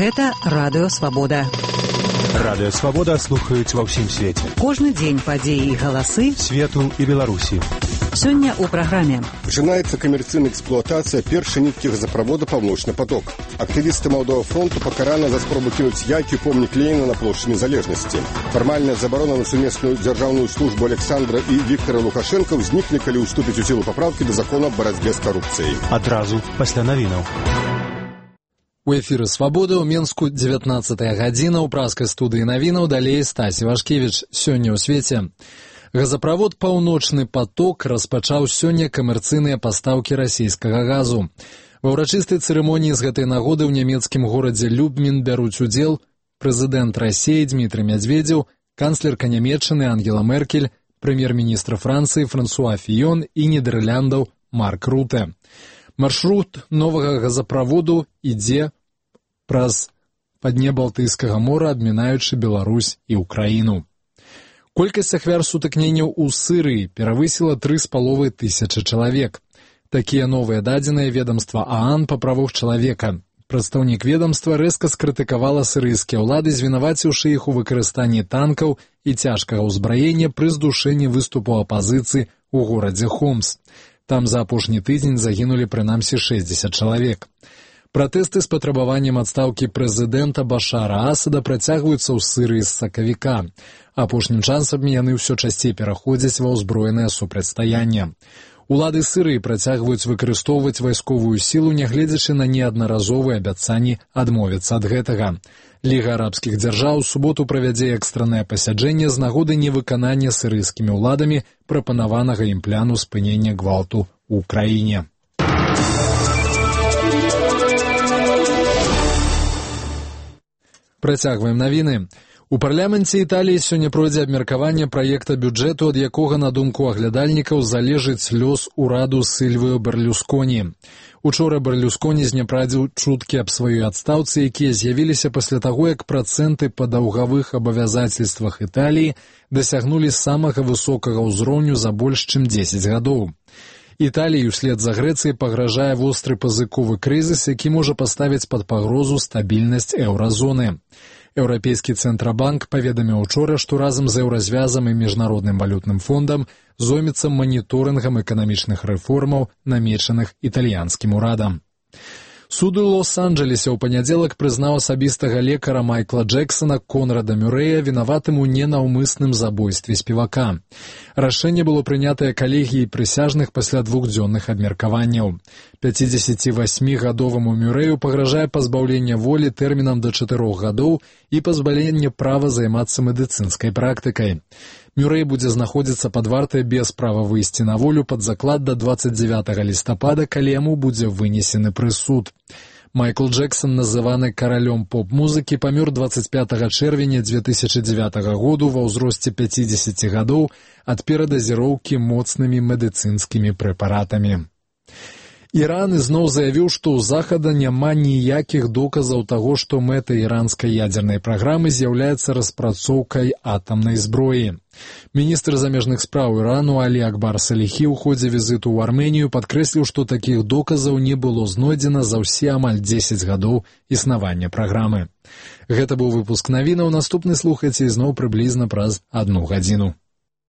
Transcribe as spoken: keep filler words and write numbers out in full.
Гэта Радыё Свабода. Радыё Свабода слухаюць ва ўсім свеце. Кожны дзень падзеі і галасы свету і Беларусі. Сёння ў праграме. Пачынаецца камерцыйная эксплуатацыя першай ніткі газаправода «Паўночны поток». Актывісты Малдового фронту пакараны за спробу кінуць яйкі ў помнік Леніна на плошчы Незалежнасці. Фармальная забарона на сумесную дзяржаўную службу Александра і Віктора Лукашенка ўзнікне, калі ўступіць у сілу папраўкі да закона аб барацьбе з карупцыяй. Адразу пасля навінаў. У эфіры «Свабода» ў Менску дзевятнаццатая гадзіна, ў праскай студыі навінаў, далей Стасі Вашкевіч. Сёння ў свеце. Газаправод «Паўночны поток» распачаў сёння камерцыйныя пастаўкі расійскага газу. Ва ўрачыстай цырымоніі з гэтай нагоды ў нямецкім горадзе Любмін бяруць удзел прэзідэнт Расіі Дмітрый Мядзведзеў, канцлерка Нямецчыны Ангела Меркель, прэм'ер-міністр Францыі Франсуа Фіён і Нідэрляндаў Марк Руте. Маршрут новага газаправоду ідзе праз падне Балтыйскага мора, абмінаючы Беларусь і Украіну. Колькасць ахвяр сутыкненняў у Сырыі перавысіла тры з паловай тысячы чалавек. Такія новыя дадзеныя ведамства ААН па правах чалавека. Прадстаўнік ведамства рэзка скрытыкавала сырыйскія ўлады, звінаваціўшы іх у выкарыстанні танкаў і цяжкага ўзбраення пры здушэнні выступу апазіцыі ў горадзе Хомс. Там за апошні тыдзень загінулі прынамсі шэсцьдзесят чалавек. Пратэсты з патрабаваннем адстаўкі прэзідэнта Башара Асада працягваюцца ў Сырыі з сакавіка. Апошнім часам яны ўсё часцей пераходзяць ва ўзброенае супрацьстаянне. Улады Сырыі працягваюць выкарыстоўваць вайсковую сілу, нягледзячы на неаднаразовыя абяцанні адмовіцца ад гэтага. Ліга арабскіх дзяржаў у суботу правядзе экстраннае пасяджэнне з нагоды невыканання сырыйскімі ўладамі прапанаванага ім пляну спынення гвалту ў краіне. Працягваем навіны. У парламенце Італіі сёння пройдзе абмеркаванне праекта бюджэту, ад якога, на думку аглядальнікаў, залежыць лёс ураду Сільвіо Берлюсконі. Учора Берлюсконі знепрадзіў чуткі аб сваёй адстаўцы, якія з'явіліся пасля таго, як працэнты па даўгавых абавязацельствах Італіі дасягнулі самага высокага ўзроўню за больш чым дзесяць гадоў. Італіі ўслед за Грэцыяй пагражае востры пазыковы крызіс, які можа паставіць пад пагрозу стабільнасць еўразоны. Еўрапейскі цэнтрабанк паведаміў учора, што разам з еўразвязам і міжнародным валютным фондам зоймецца маніторынгам эканамічных рэформаў, намечаных італьянскім урадам. Суд у Лос-Анджелесе ў панядзелак прызнаў асабістага лекара Майкла Джексона Конрада Мюрэя вінаватым у ненаўмысным забойстве спевака. Рашэнне было прынятае калегіяй прысяжных пасля двухдзённых абмеркаванняў. пяцідзесяцівасьмігадоваму Мюрэю пагражае пазбаўленне волі тэрмінам да чатырох гадоў і пазбаўленне права займацца медыцынскай практыкай. Мюрэй будзе знаходзіцца пад вартай без права выйсці на волю пад заклад да дваццаць дзявятага лістапада, калі яму будзе вынесены прысуд. Майкл Джексон, называны каралём поп-музыкі, памёр дваццаць пятага чэрвеня дзве тысячы дзявятага году ва ўзросце пяцідзесяці гадоў ад перадазіроўкі моцнымі медыцынскімі прэпаратамі. Іран ізноў заявіў, што ў Захада няма ніякіх доказаў таго, што мэтай іранскай ядзернай праграмы з'яўляецца распрацоўкай атамнай зброі. Міністр замежных спраў Ірану Алі Акбар Саліхі ў ходзе візіту ў Арменію падкрэсліў, што такіх доказаў не было знойдзена за ўсе амаль дзесяць гадоў існавання праграмы. Гэта быў выпуск навінаў, наступны слухайце ізноў прыблізна праз адну гадзіну.